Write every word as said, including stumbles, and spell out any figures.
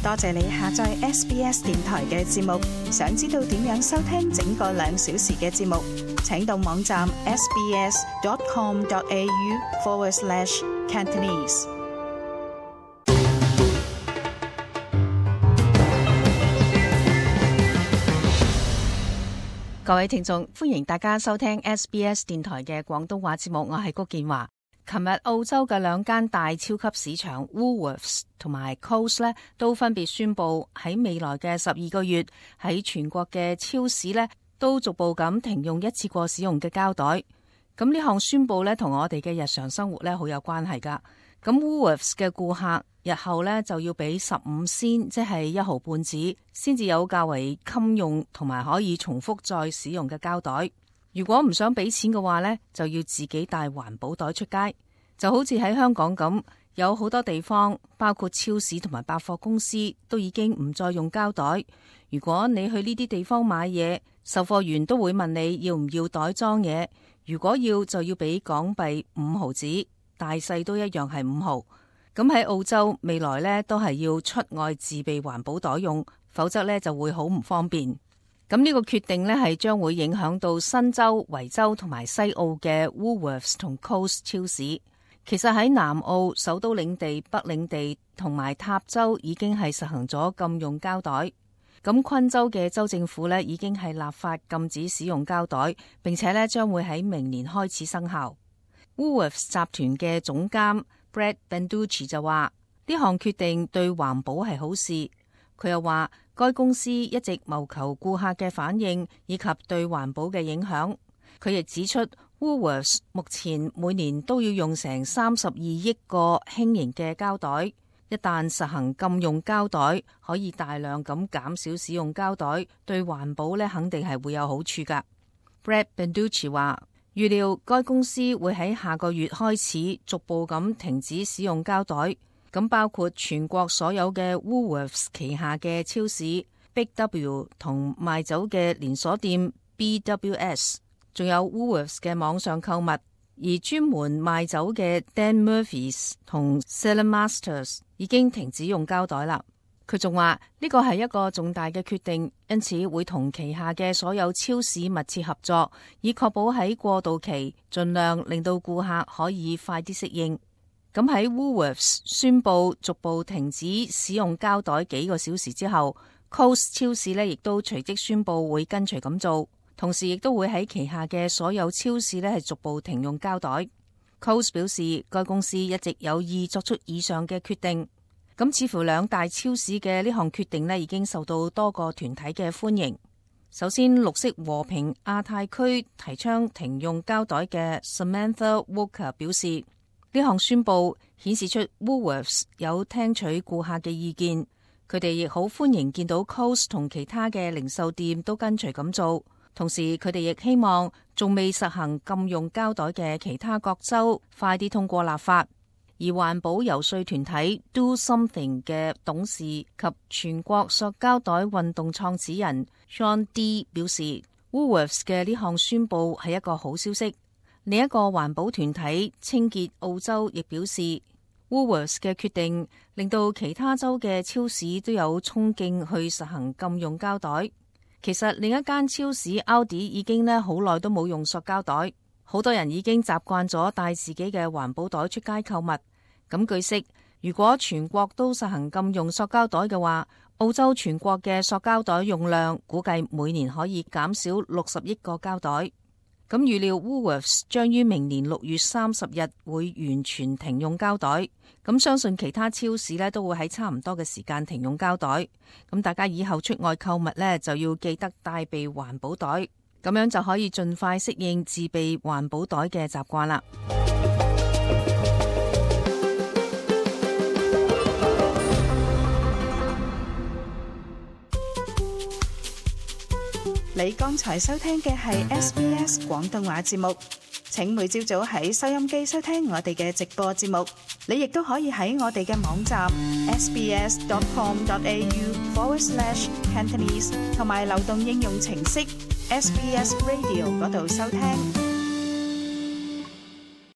多謝你下載 S B S 電台嘅節目。想知道點樣收聽整個兩小時嘅節目，請到網站 sbs.com.au forward slash Cantonese。各位聽眾，歡迎大家收聽 S B S 電台嘅廣東話節目，我係谷建華。琴日澳洲嘅兩間大超級市場 Woolworths 同埋 Coles 咧，都分別宣布喺未來嘅十二個月喺全國嘅超市咧，都逐步咁停用一次過使用嘅膠袋。咁呢項宣布咧，同我哋嘅日常生活咧好有關係噶。咁 Woolworths 嘅顧客日後咧就要俾十五仙，即係一毫半紙，先至有較為襟用同埋可以重複再使用嘅膠袋。如果唔想俾錢嘅話咧，就要自己帶環保袋出街。就好似喺香港咁，有好多地方，包括超市同埋百貨公司，都已經唔再用膠袋。如果你去呢啲地方買嘢，售貨員都會問你要唔要袋裝嘢。如果要，就要俾港幣五毫紙，大細都一樣係五毫。咁喺澳洲未來呢，都係要出外自備環保袋用，否則呢就會好唔方便。咁呢個決定呢，係將會影響到新州、維州同埋西澳嘅 Woolworths 同 Coles 超市。其實喺南澳、首都領地、北領地同埋塔州已經係實行咗禁用膠袋。咁昆州嘅州政府呢，已經係立法禁止使用膠袋，並且呢將會喺明年開始生效。Woolworths 集團嘅總監 Brad Banducci 就話：呢項決定對環保係好事。佢又話，該公司一直謀求顧客嘅反應以及對環保嘅影響。佢亦指出，Woolworths 目前每年都要用成三十二億個輕型嘅膠袋，一旦實行禁用膠袋，可以大量咁減少使用膠袋，對環保咧肯定係會有好處噶。Brad Banducci 話，預料該公司會喺下個月開始逐步咁停止使用膠袋，咁包括全國所有嘅 Woolworths 旗下嘅超市 Big W 同賣酒嘅連鎖店 B W S。仲有 Woolworths 嘅網上購物，而專門賣酒嘅 Dan Murphy's 同 Cellar Masters 已經停止用膠袋啦。佢仲話呢個係一個重大嘅決定，因此會同旗下嘅所有超市密切合作，以確保喺過渡期盡量令到顧客可以快啲適應。咁喺 Woolworths 宣布逐步停止使用膠袋幾個小時之後， Coles 超市呢亦都隨即宣布會跟隨咁做。同時亦都會喺旗下嘅所有超市呢係逐步停用膠袋。Coles 表示，該公司一直有意作出以上嘅決定。咁似乎兩大超市嘅呢項決定呢已經受到多個團體嘅歡迎。首先，綠色和平亞太區提倡停用膠袋嘅 Samantha Walker 表示，呢項宣布顯示出 Woolworths 有聽取顧客嘅意見。佢哋亦好歡迎見到 Coles 同其他嘅零售店都跟隨咁做。同時，佢哋亦希望仲未實行禁用膠袋嘅其他各州快啲通過立法。而環保遊說團體 Do Something 嘅董事及全國塑膠袋運動創始人 Sean D 表示， Woolworths 嘅呢項宣布係一個好消息。另一個環保團體清潔澳洲亦表示， Woolworths 嘅決定令到其他州嘅超市都有衝勁去實行禁用膠袋。其實另一間超市 Aldi 已經咧好耐都冇用塑膠袋，好多人已經習慣咗帶自己嘅環保袋出街購物。咁據悉，如果全國都實行禁用塑膠袋嘅話，澳洲全國嘅塑膠袋用量估計每年可以減少六十億個膠袋。咁預料 Woolworths 將於明年六月三十日會完全停用膠袋，咁相信其他超市呢都會喺差唔多嘅時間停用膠袋。咁大家以後出外購物呢，就要記得帶備環保袋，咁樣就可以盡快適應自備環保袋嘅習慣啦。你剛才收聽嘅係 S B S 廣東話節目，請每朝早喺收音機收聽我哋嘅直播節目。你亦都可以喺我哋嘅網站 sbs.com.au forward slash Cantonese 同埋流動應用程式 S B S Radio 嗰度收聽。